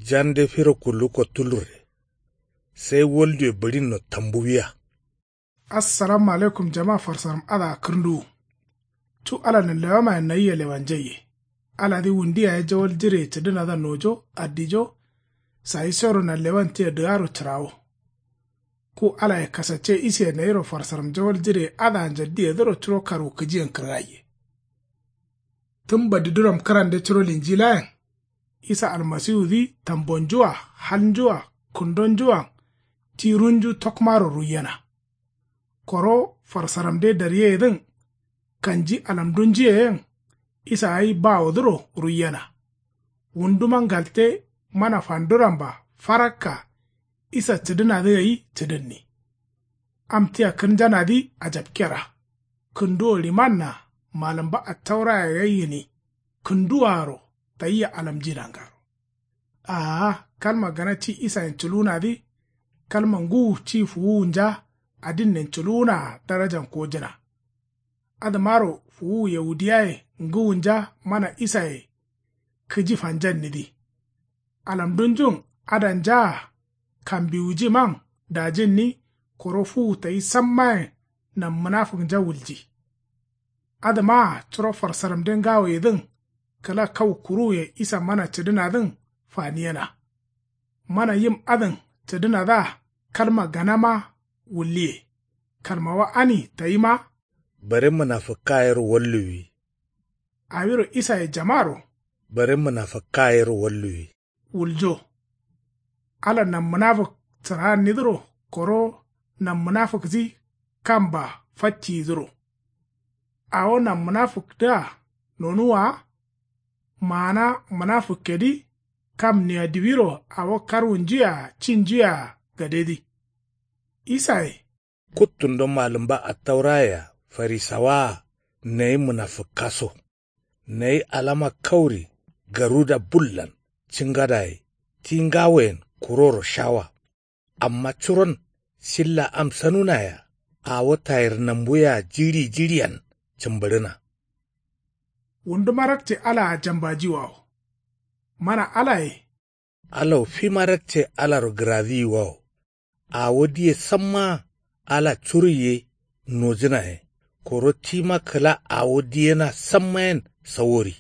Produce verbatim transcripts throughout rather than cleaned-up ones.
Jande firo kullu kottulurre. Sai walduwe bǝɍinno tambuwiya. Assalamu alaikum jama farsaram adǝa kǝrnduwu. Cu ala nanlewamayen nayia lewanjaiye. Aladǝ wundu yaye jawal jireye cǝdǝnadǝa nojo addijo. Sayi soro nanlewan tia dǝgaro cǝrawo. Ku alaye kasacce isiye nayiro farsaram jawal jireye adǝa njaddiyedǝro curo karwukǝjiyen kǝrgaiye. Tǝm badidǝram kǝrande curo linjilayen. Isa almasiwudǝ tambonju-a halnju-a kǝndonju-an ti runju tokmaro ruiyena. Koro farsaramde daryeyedǝn kanji alamdunjuye yen. Isa gai bawodǝro ruiyena. Wunduma ngalte mana fanduramba farakka. Isa cǝdǝnadǝ gai cǝdǝnni. Am tia kǝrnjanadǝ ajapkera. Kǝnduwo limanna malǝmba attauraya gai gǝni. Kǝnduwaaro tayia alamji nangaro. Aa kalma gana ci isayen culuwunadǝ. Kalma ngǝwu ci fuwuwunja adinnen culuwunaa darajan kojǝna. Adǝmaro fuwuwu yaudiyaye ngǝwunja mana isaye. Kǝji fanjannidǝ. Alamdunjun adanjaa kambiwujiman dajinni. Koro fuwu tayi sammayen. Nan mǝnafǝknja wulji. Adǝmaa curo farsaramde ngawoyedǝn kǝla kau kuruwuye isa mana cǝdǝnadǝn faniyena. Mana yim adǝn cǝdǝnadǝa kalma ganama wulliye. Kalmawa ani tayima. Bare mǝnafǝkka yero walluwi. Awiro isaye jamaro. Bare mǝnafǝkka yero walluwi. Wuljo. Ala nanmǝnafǝk cǝraannidǝro koro nanmǝnafǝkdǝ kamba facciyidǝro. Awo nanmǝnafǝkdǝa nonuwwa wa. Maana mǝnafǝkkedǝ kam niya diwiro awo karwunjuyea cinjuyea gadedǝ. Isaye. Kuttundo malǝmba attaurayea farisawaa nayi mǝnafǝkkaso. Nayi alama kauri garuda bullan cingadaye ti ngawoyen kuroro shawa. Amma curon silla am sanunayea awo tayirnambuyea jiɍi jiɍiyan cǝmbǝɍǝna. Wunduma rakce alaa jambajiwawo. Mana alaye. Alao fima rakce alaro gǝraziyiwawo. Awo diye sammaa ala curuiye nojǝnaye. Koro tima kǝla awo diyena sammayen sawori.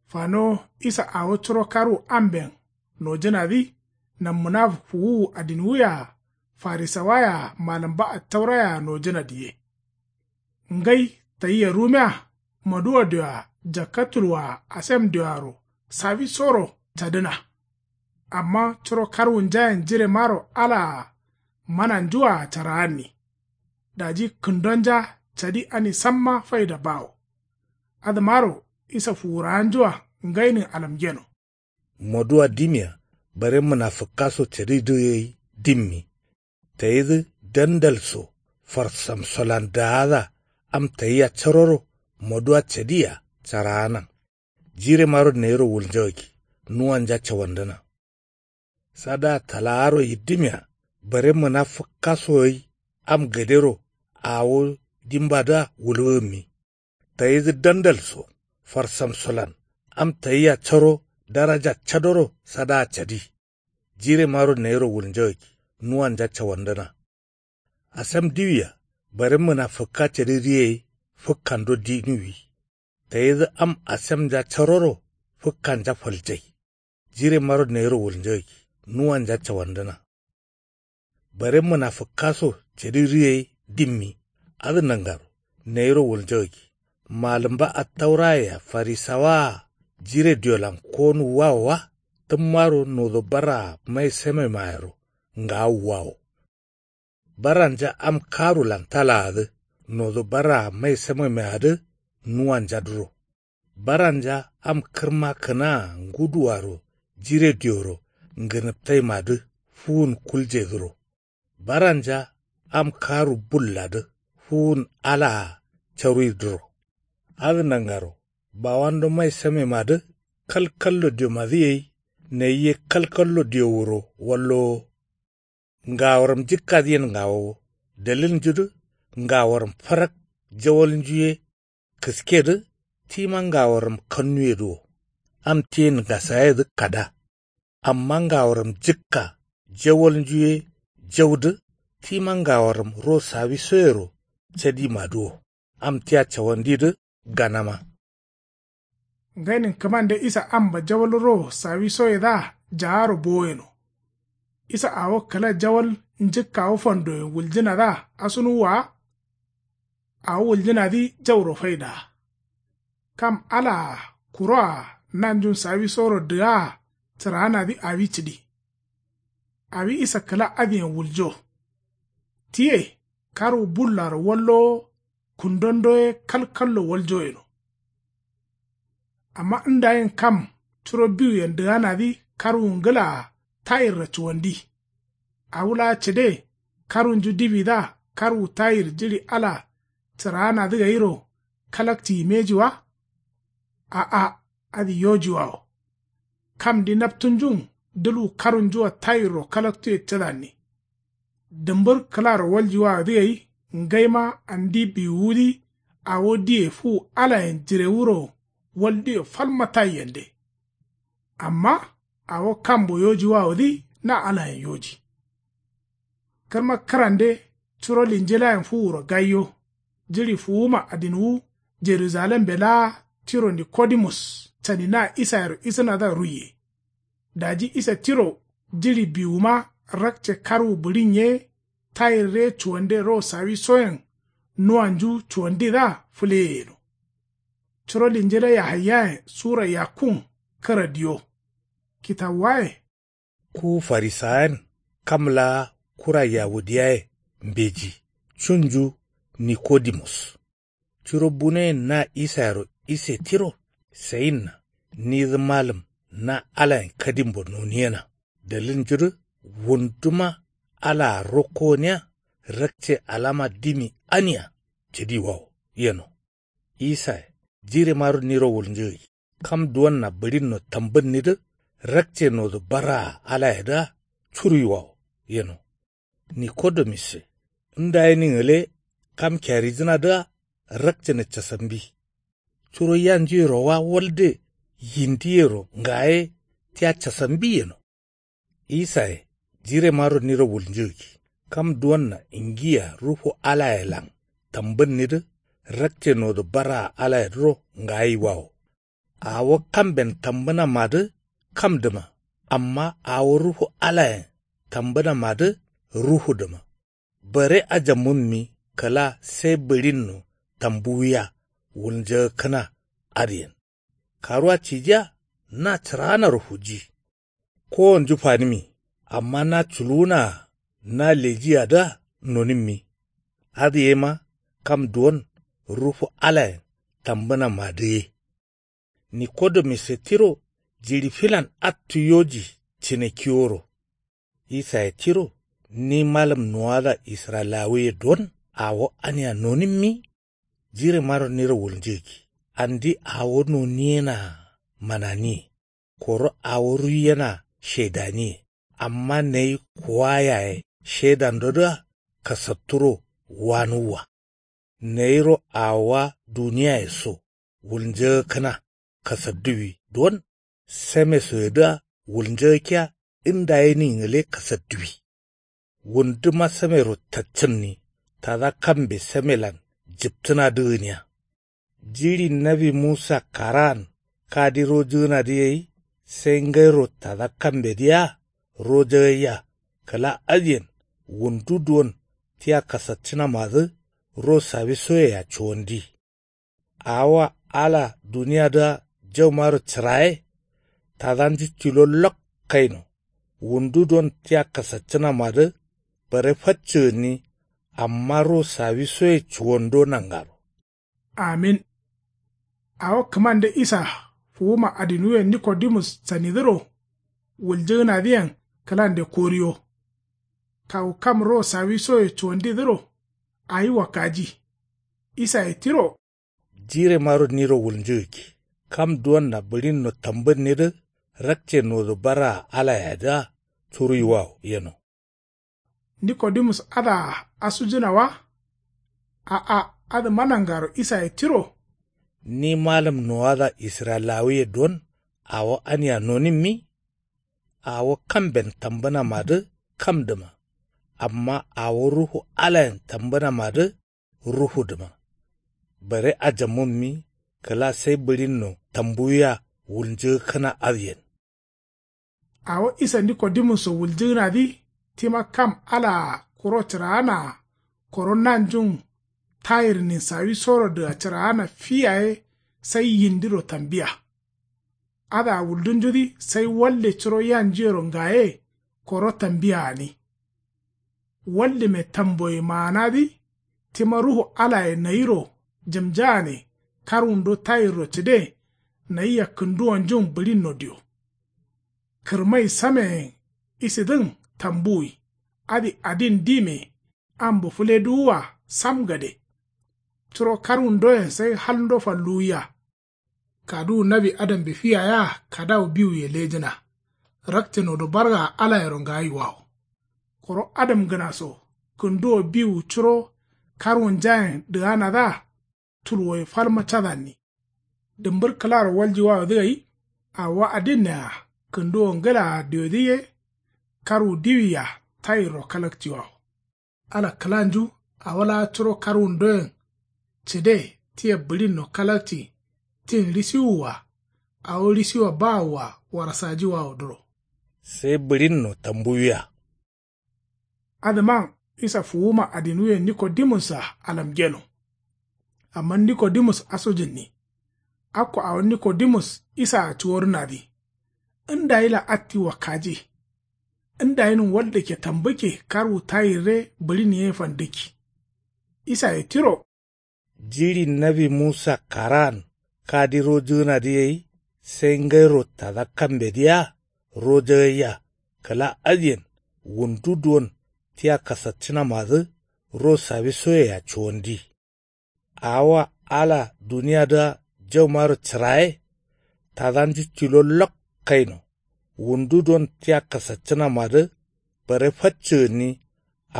Fano isa awo curo karwu amben nojǝnadǝ. Nanmǝnafǝk fuwuwu adinwuyea farisawayea malǝmba attaurayea nojǝna diye. Ngai tayia rumiya maduwa dioa jakka tulwaa asem dioaro sawisoro cadǝna. Amma curo karwunjayen jiremaro alaa mananjua caraanni. Daji kǝndonja cadi ani samma faida bawo. Adǝmaro isa fuwurawanjua ngainin alamgeno. Moduwa dimia bare mǝnafǝkkaso cadidǝ gai dimmi. Tayidǝ dandal so farsamsolan daadǝa am tayia caroro moduwa cadiya caraanan. Jiremaro nayiro wulnjagakki nuwanja cawandǝna. Sadaa talaaro yiddǝmia bare mǝnafǝkkaso gai am gadero awo dimbadǝa wulgǝgǝmmi. Tayidǝ dandal so farsamsolan am tayia caro daraja cadoro sadaa cadi. Jiremaro nayiro wulnjagakki nuwanja cawandǝna. Asem diwia bare mǝnafǝkka cadi riye gai fǝkkando dinuwi. Tayidǝ am asemnja caroro fǝkkanja faljai. Jiremaro nayiro wulnjagakki nuwanja cawandǝna. Bare mǝnafǝkkaso cadi riye gai dimmi. Adǝ nangaro nayiro wulnjagakki malǝmba attaurayea farisawaa jire diolan konuwwawo wa. Tǝmmaro nodo baraa mai samemaero ngawuwwawo. Baranja am karulan talaadǝ nodo baraa mai samemeadǝ nuwanjadǝro. Baranja am kǝrma kǝnaa nguduaro jire dioro ngǝnǝptaimadǝ fuwun kuljedǝro. Baranja am karu bulladǝ fuwun alaa caruidǝro. Adǝ nangaro bawando mai samemadǝ kalkallo diomadǝ gai nayi ye kalkallo dio wuro wallowo. Ngaworam jikkadǝyen ngawowo dalilnjudǝ ngaworam farak jawalnju ye kǝskedǝ tima ngaworam kannuyedǝ wo. Am tiyen ngasayedǝ kada. Amma ngaworam jǝkka jawalnju ye jaudǝ. Tima ngaworam ro sawisoyero cadimadǝ wo. Am tia cawandidǝ ganama. Ngainin kǝmande isa amba jawal ro sawisoyedǝa jaaro bowoyeno. Isa awo kǝla jawal njǝkkawo fandoyen wuljǝnadǝa asunuwwa wa. Awo wuljǝnadǝ jauro faidaa. Kam alaa kuroa nanjun sawisoro dǝgaa cǝraanadǝ awi cǝdi. Awi isa kǝla adǝyen wuljo. Tiye karwu bullaro wallowo kundondo ye kalkallo waljo yeno. Amma ndayin kam curo biwuyen dǝganadǝ karwu ngǝlaa tayirra cuwandi. Awu laa cǝde karwunju diwidǝa karwu tayir jiɍi ala cǝraanadǝ gairo kalakciyi mbeji wa. A'a, adǝ yojiwawo. Kamdi naptunjun dǝlwu karunjua tayirro kalaktuye cǝdanni. Dǝmbǝr kǝlaro waljiwawodǝ gai ngaima andi biwuwudǝ awo diye fuwu alayen jirewuro walduwe falma taiyende. Amma awo kambo yojiwawodǝ na alayen yoji. Kǝrma kǝrande curo linjilayen fuwuro gaiyo. Jiɍi fuwuma adinwu jerujalembe laa tiro nikodimus caninaa isayero isǝnadǝa ruiye. Daji isa tiro jiɍi biwuma rakce karwu bǝɍin ye tayirre cuwande ro sawisoyen nuwanju cuwandidǝa fǝleye yeno. Curo linjila yahaiyayen sura yakkun kǝra diyo. Kitawuwaye. Ku farisawayen kam laa kura yawudiyaye mbeji cunju nikodimus. Curo bunoyen na isayero ise tiro sayinna nidǝ malǝm na alayen kadimbo noniyena dalilnjudǝ wunduma alaa rokko gǝniya rakce alama dimi ania cǝdiwawo yeno. Isaye jiremaro niro wulnjǝgǝgi kam duwonna bǝɍinno tambǝnnidǝ rakce nodu barraa alayedǝa curuiwawo yeno. Nikodemusse ndaye ni ngǝle kam kyarijǝnadǝa rakcǝnǝ casambi. Curo yanjuyero wa walde yindiyero ngaye tia casambi yeno. Isaye jiremaro niro wulnjǝgǝgi kam duwonna ngiya ruhu alayelan tambǝnnidǝ rakce nodu barraa alayedǝro ngayiwawo. Awo kamben tambǝnamadǝ kamdǝma amma awo ruhu alayen tambǝnamadǝ ruhudǝma. Bare ajammunmi kǝla sai bǝɍinno tambuwiya wulnjagakkǝna adǝyen. Karuwa cijiya na cǝraanaro fuji. Kowonju fanǝmi amma na culuwunaa na lejiyadǝa nonǝmmi. Adǝ yema kam duwon ruhu alayen tambǝnamadǝ ye. Nikodemusse tiro jiɍi filan attu yoji cǝne kiworo. Isaye tiro ni malǝm nuwada israyilawuye don awo ania nonǝmmi. Jiremaro niro wulnjǝgǝgi andi awo noniyenaa mananiye. Koro awo ruiyenaa shedaniye. Amma nayi kuwa yaye shedandodǝa kasatturo wanuwwa. Nayiro awowa duniyaye so wulnjagakkǝna kasadduwi don samesoyedǝa wulnjagakkiya ndaye ni ngǝle kasadduwi. Wunduma samero taccǝnni tada kambe samelan jǝptǝnadǝ gǝniya. Jiɍi nawi musa karaan kadi rojǝgǝnadǝ gai sai ngairo tada kambedǝ yea rojagaiya. Kǝla adǝyen wundu duwon tia kasaccǝnamadǝ ro sawisoyea cuwandi. Awowa ala duniyadǝa jaumaro cǝraye. Tadanju tilo lok kaino wundu don tia kasaccǝnamadǝ bare faccǝgǝnni. Amma ro sawisoye cuwando nangaro. Amin. Awo kǝmande isa fuwuma adinwuyen nikodimus canidǝro wuljǝgǝnadǝyen kǝlande koriyo. Kawu kam ro sawisoye cuwandidǝro awi wakkaji. Isaye tiro. Jiremaro niro wulnjǝgǝggi kam duwonna bǝɍinno tambǝnnidǝ rakce nodu barraa alayedǝa curuiwawo yeno. Nikodimus adǝa asujǝna wa. A'a, adǝma nangaro isaye tiro. Ni malǝm nowada israyilawuye don awo ania nonǝmmi. Awo kamben tambǝnamadǝ kamdǝma. Amma awo ruhu alayen tambǝnamadǝ ruhudǝma. Bare ajamǝmmi kǝla sai bǝɍinno tambuwiya wulnjǝgǝkkǝna adǝyen. Awo isa nikodimusso wuljǝgǝnadǝ tima kam alaa kuro cǝraanaa koro nanjun tayirnin sawisoro dǝga cǝraana fi yaye sai yindiro tambiya. Adǝa wuldunjudǝ sai walde curo yanjuyero ngaye koro tambiya gǝni. Waldǝme tamboye maanadǝ tima ruhu alaye nayiro jǝmjagane karwundo tayirro cǝde nayia kǝnduwonjun bǝɍinno dio. Kǝrmai sameyen isidǝn tambuwi adǝ adin dime ambo fǝleduwua sam gade. Curo karwundoyen sai halndo falluwiya. Kaduwu nawi adambe fiya yea kadawu biwuye lejǝna. Rakce nodo bargaa alayero ngayiwawo. Koro adamgǝnaso kǝnduwo biwu curo karwunjayen dǝganadǝa tulwoye falma cadanni. Dǝmbǝr kǝlaro waljiwawodǝ gai. Awo adinnea kǝnduwo ngǝlaa diodǝ ye karwu diwia tayirro kalakciwawo. Ala kǝlanju awo laa curo karwundoyen cǝde tia bǝɍinno kalakci tin risiwua awo risiwa bawua warasajiwawodǝro. Sai bǝɍinno tambuwiya. Adǝman isa fuwuma adinwuyen nikodimus-a alamgeno. Amma nikodimus asujǝnni. Akko awo nikodimus isaa cuworǝnadǝ. Ndayila atti wakkaji. Ndayinǝn waldǝkke tambǝkke karwu tayirre bǝɍin ye fandǝkki. Isaye tiro. Jiɍi nawi musa karaan kadi rojǝgǝnadǝ gai sai ngairo tada kambedǝ yea rojagaiya kǝla adǝyen wundu duwon tia kasaccǝnamadǝ ro sawisoyea cuwandi. Awoa ala duniyadǝa jaumaro cǝraye tadanju tilo lok kaino. Wundu don tia kasaccǝnamadǝ bare faccǝ gǝnni.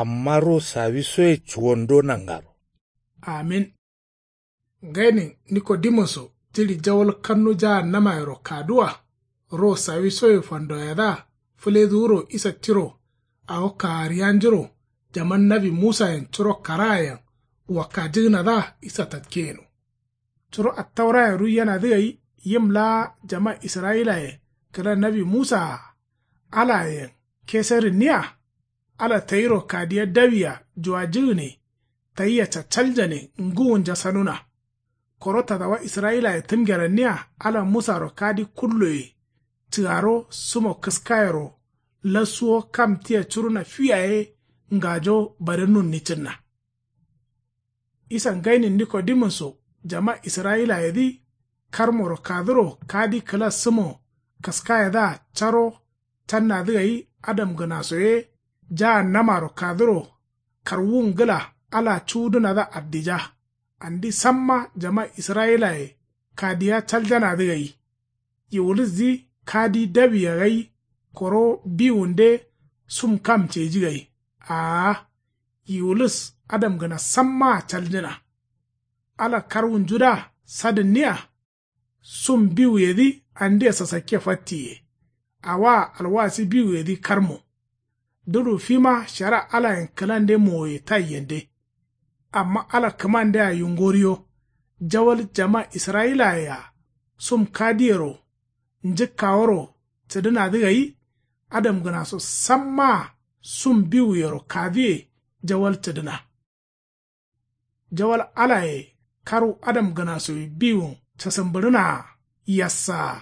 Amma ro sawisoye cuwando nangaro. Amin. Ngainin nikodimusso jiɍi jawal kannu jaannamayero kaduwa ro sawisoye fandoyadǝa fǝleduwuro isa tiro awo kaariyanjuro jaman nawi musayen curo karaayen wakkajǝgǝnadǝa isa tatkeyeno. Curo attaurayen ruiyenadǝ gai yim laa jama israyilaye kǝla nawi musaa alayen keserǝnniya. Ala tayiro kadiya dawiya juwajǝgǝne tayia caccaljane ngǝwunja sanuna. Koro tadawa israyilaye tǝmgeranniya ala musaro kadi kulloye cǝgaro sumo kǝskayero lasuwo kam tia curuna fiyaye ngajo bare nunni cǝnna. Isa ngainin nikodimusso jama israyilayedǝ karmoro kaduro kadi kǝla sǝmo kǝskayedǝa caro cannadǝ gai adamgǝnaso ye jahannamaro kaduro karwun ngǝla ala cuwudǝnadǝa addija. Andi samma jama israyilaye kadiya caljanadǝ gai. Yiwulusdǝ kadi dawiya gai koro biwunde sum kam ceji gai. Aa. Yiwulus adamgǝna sammaa caljǝna. Ala karwunjudǝa sadǝnniya. Sum biwuyedǝ andia sasakke fattiye. Awaa alwasi biwuyedǝ karmo. Dudu fima shara alayen kǝlande mowoye taiyende. Amma ala kǝmandea yungoriyo jawal jama israyilaye-a sum kadiyero njǝkkaworo cǝdǝnadǝ gai. Adamgǝnaso sammaa sum biwuyero kaduwe jawal cǝdǝna. Jawal alaye karwu adamgǝnasoye biwun casǝmbǝɍǝnaa yassaa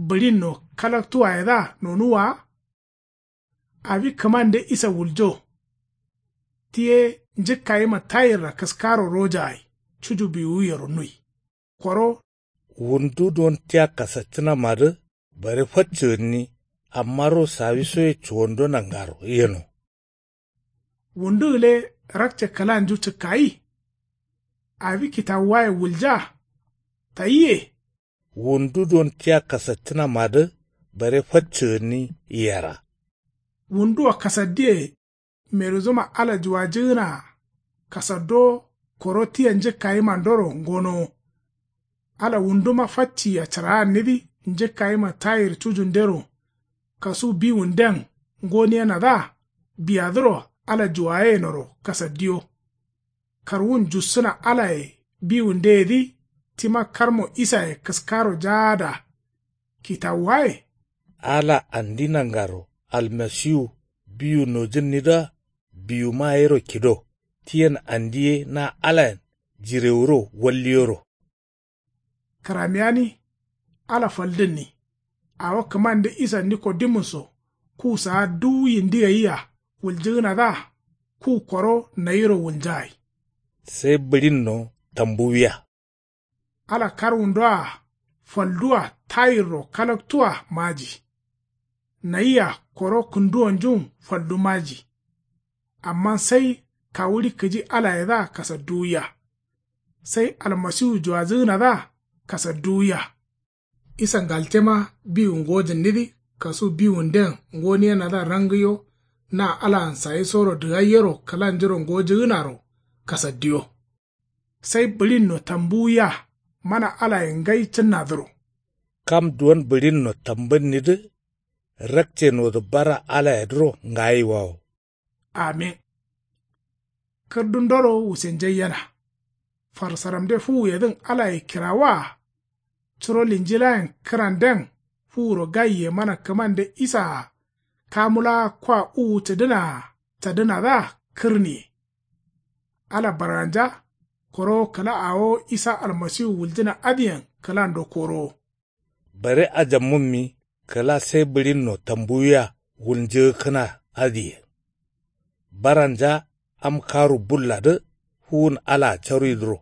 bǝɍinno kalaktuwayedǝa nonuwwa wa. Awi kǝmande isa wuljo. Tiye njǝkkayima tayirra kǝskaro rojagai cuju biwuyero nui. Koro. Wundu don tia kasaccǝnamadǝ bare faccǝgǝnni. Amma ro sawisoye cuwando nangaro yeno. Wundu gǝle rakce kǝlanju cǝkkayi. Awi kitawuwaye wulja. Tayiye. Wundu don tia kasaccǝnamadǝ bare faccǝgǝnni yera. Wunduwa kasaddiye. Meruzuma ala juwajǝgǝnaa kasaddo koro tia njǝkkayimandoro ngonowo. Ala wunduma facciya cǝraannidǝ njǝkkayima tayir cujundero kasu biwunden ngoniyenadǝa biyadǝro ala juwayenoro kasaddiyo. Karwun jussǝna alaye biwundeyedǝ tima karmo isaye kǝskaro jaada. Kitawuwaye ala andi nangaro almasiwu biwu nojǝnnidǝa biwuma yero kido tiyen andi ye na alayen jirewuro walliyoro. Kǝramiyani ala faldǝnni awo kǝmande isa nikodimus-so ku saa duwu yindi gayia wuljǝgǝnadǝa ku koro nayiro wulnjagai. Sai bǝɍinno tambuwiya. Ala karwundo-a faldu-a tayirro kalaktu-a maji. Nayia koro kǝnduwonjun faldu maji. Amma sai kawuɍi kǝji alayedǝa kasadduwiya. Sai almasiwu juwajǝgǝnadǝa kasadduwiya. Isa ngaltema biwu ngojǝnnidǝ kasu biwunden ngoniyenadǝa rangǝyo na alaan sayisoro dǝgaiyero kǝlanjuro ngojǝgǝnaro kasaddiyo. Sai bǝɍinno tambuwiya mana alaye ngai cǝnnadǝro. Kam duwon bǝɍinno tambǝnnidǝ rakcenodǝ bara alayedǝro ngayiwawo. Amin. Kǝrdundoro wusenjaiyena. Farsaramde fuwuyedǝn alaye kirawaa. Curo linjilayen kǝranden fuwuro gaiye mana kǝmande isaa kamu laa kwa uwu cǝdǝnaa cadǝnadǝa kǝrniye. Ala barganja koro kǝla awo isa almasiwu wuljǝna adǝyen kǝlando korowo. Bare ajammunmi kǝla sai bǝɍinno tambuwiya wulnjǝgǝkkǝna adǝye. Baranja am karu bulladǝ fuwun alaa caruidǝro